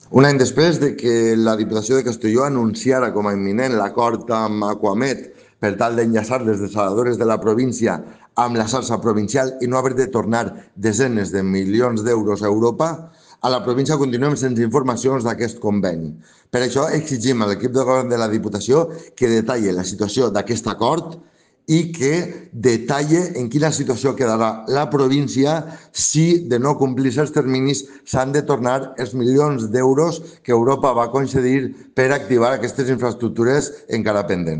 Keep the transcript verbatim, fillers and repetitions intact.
Un any després de que la Diputació de Castelló anunciara com a imminent l'acord amb Aquamed per tal d'enllaçar les desaladores de la província amb la xarxa provincial i no haver de tornar desenes de milions d'euros a Europa, a la província continuem sense informacions d'aquest conveni. Per això exigim a l'equip de govern de la Diputació que detalli la situació d'aquest acord i que detalle en quina situació quedarà la província si, de no complir els terminis, s'han de tornar els milions d'euros que Europa va concedir per activar aquestes infraestructures encara pendents.